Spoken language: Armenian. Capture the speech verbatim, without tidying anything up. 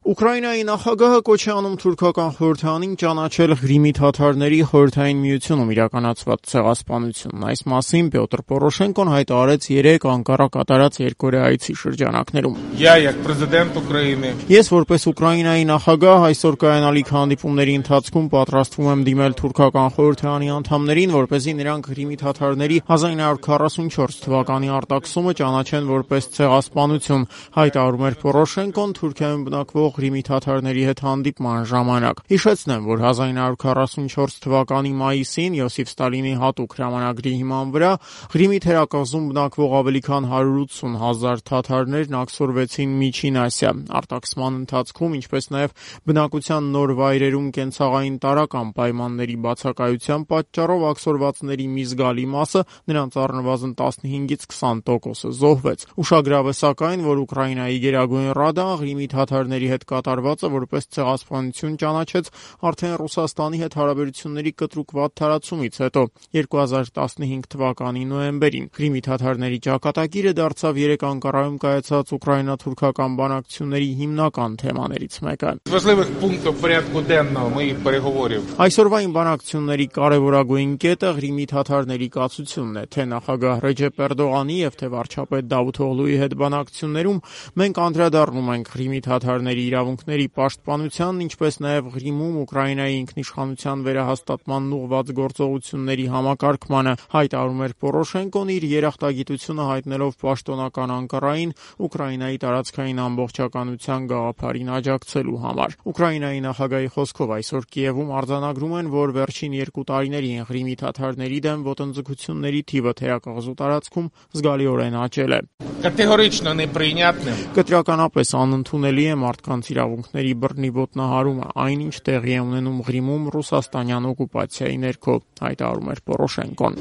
Ուկրաինայի նախագահը կոչ է անում թուրքական խորհրդարանին ճանաչել Ղրիմի թաթարների Խորհրդային Միությունում իրականացված ցեղասպանությունն։ Այս մասին Պյոտր Պորոշենկոն հայտարարեց երեկ Անկարա կատարած երկօրյա այցի շրջանակներում։ Ես որպես Ուկրաինայի նախագահ այսօր կայանալիք հանդիպումների ընթացքում պատրաստվում եմ դիմել թուրքական խորհրդարանի անդամներին, որպեսզի նրանք Ղրիմի թաթարների հազար ինը հարյուր քառասունչորս թվականի արտաքսումը ճանաչեն որպես ցեղասպանություն, հայտարարում էր Պորոշենկոն Թուրքիայում բնակվող Ղրիմի թաթարների հետ հանդիպման ժամանակ։ Հիշեցնեմ, որ հազար ինը հարյուր քառասունչորս թվականի մայիսին Յոսիֆ Ստալինի հատուկ հրամանագրի հիման վրա Ղրիմի թերակղզում բնակվող ավելի քան հարյուր ութսուն հազար թաթարներն աքսորվեցին Միջին Ասիա։ Արտաքսման ընթացքում, ինչպես նաև բնակության նոր վայրերում կենցաղային տարրական պայմանների բացակայության պատճառով աքսորվածների մի զգալի մասը, նրանց առնվազն տասնհինգից քսան տոկոսը զոհվեց։ Ուշագրավ է սակայն, որ Ուկրաինայի Գերագույն Ռադան Ղրիմի թաթարների հետ կատարվածը որպես ցեղասպանություն ճանաչեց արդեն Ռուսաստանի հետ հարաբերությունների կտրուկ վատթարացումից հետո երկու հազար տասնհինգ թվականի նոյեմբերին։ Ղրիմի թաթարների ճակատագիրը դարձավ երեք Անկարայում կայացած ուկրաինա-թուրքական բանակցությունների հիմնական թեմաներից մեկը։ Այսօրվա այն բանակցությունների կարևորագույն կետը Ղրիմի թաթարների կացությունն է, թե նախագահ Ռեջեփ Էրդողանի եւ թե վարչապետ Դավութօղլուի հետ բանակցություններում մենք անդրադառնում ենք Ղրիմի թաթարների իրավունքների պաշտպանությանն, ինչպես նաև Ղրիմում Ուկրաինայի ինքնիշխանության վերահաստատմանն ուղղված գործողությունների համակարգմանը, հայտարարում էր Պորոշենկոն իր երախտագիտությունը հայտնելով պաշտոնական Անկարային Ուկրաինայի տարածքային ամբողջականության գաղափարին աջակցելու համար։ Ուկրաինայի նախագահի խոսքով այսօր Կիևում արձանագրում են, որ վերջին երկու տարիներին Ղրիմի թաթարների դեմ ոտնձգությունների թիվը թերակղզու տարածքում զգալիորեն աճել է։ Կտրականապես անընդունելի է մարդկանց իրավունքների բռնի ոտնահարումը, այնինչ տեղի է ունենում Ղրիմում ռուսաստանյան օկուպացիայի ներքո, հայտարարում էր Պորոշենկոն։